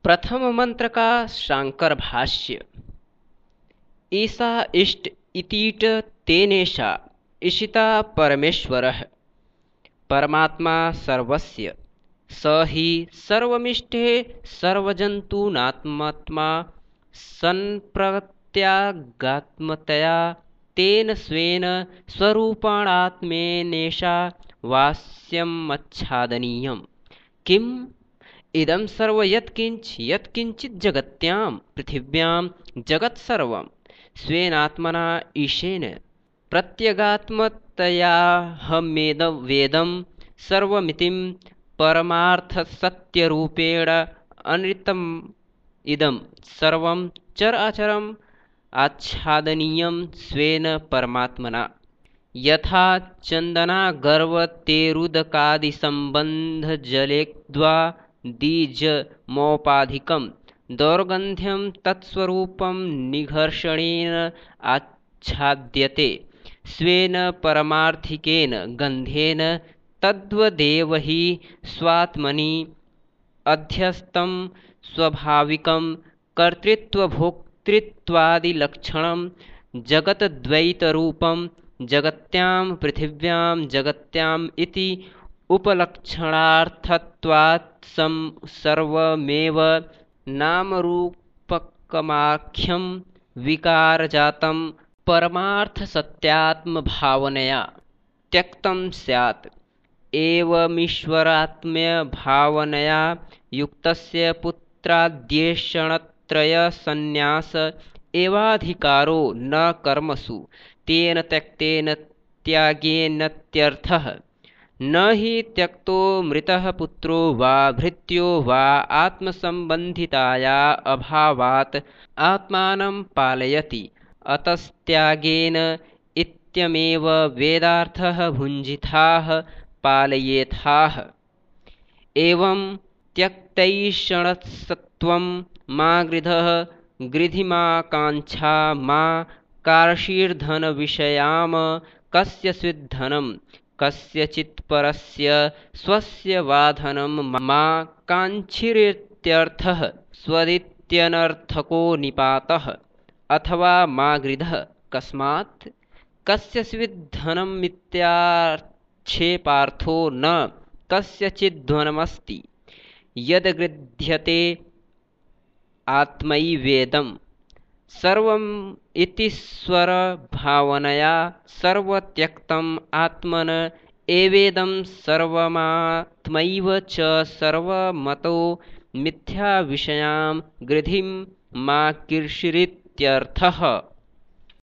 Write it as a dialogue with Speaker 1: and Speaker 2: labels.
Speaker 1: प्रथम मंत्र का शांकर भाष्य। ईसा इष्ट इतीट तेनेशा ईशिता परमेश्वरः परमात्मा सर्वस्य स हि सर्वमिष्टे सर्वजन्तूनात्मा सन्प्रत्यागात्मतया तेन स्वेन स्वरूपाणात्मेनेशा वास्यमच्छादनीयम्। किम् इदं सर्वं यत्किञ्चित् जगत्यां पृथिव्यां जगत्सर्वं स्वेनात्मना ईशेन प्रत्यगात्मतयाहमेदं सर्वमितिं परमार्थसत्यरूपेण अनृतम् इदं सर्वं चर अचरम् आच्छादनीयं स्वेन परमात्मना। यथा चन्दनागर्वतेरुदकादिसम्बन्धजलेद्वादीजमौपाधिकं दौर्गन्ध्यं तत्स्वरूपं निघर्षणेन आच्छाद्यते स्वेन परमार्थिकेन गन्धेन। तद्वदेव हि स्वात्मनि अध्यस्तं स्वाभाविकं कर्तृत्वभोक्तृत्वादिलक्षणं जगद्द्वैतरूपं जगत्यां पृथिव्यां जगत्याम् इति उपलक्षणार्थत्वात् सर्वमेव नामरूपकमाख्यं विकारजातं परमार्थसत्यात्मभावनया त्यक्तं स्यात्। एवमीश्वरात्म्यभावनया युक्तस्य पुत्राद्येषणत्रयसन्न्यास एवाधिकारो न कर्मसु तेन त्यक्तेन त्यागेनेत्यर्थः। न हि त्यक्तो मृतः पुत्रो वा भृत्यो वा आत्मसम्बन्धिताया अभावात् आत्मानं पालयति अतस्त्यागेन इत्यमेव वेदार्थः भुञ्जिताः पालयेथाः। एवं त्यक्तैषणसत्त्वं मा गृधः गृधिमा काङ्क्षा मा कार्षीर्धनविषयाम कस्य स्विद्धनं कस्यचित्परस्य स्वस्य वा धनं मा काङ्क्षीरित्यर्थः। स्वदित्यनर्थको निपातः अथवा मा गृधः कस्मात् कस्य स्विद्धनमित्याक्षेपार्थो न कस्यचिद्धनमस्ति। यद्गृध्यते आत्मैवेदं सर्वम् इतीश्वरभावनया सर्वत्यक्तम् आत्मन एवेदं सर्वमात्मैव च सर्वमतो मिथ्याविषयां गृधिं मा कर्षीरित्यर्थः।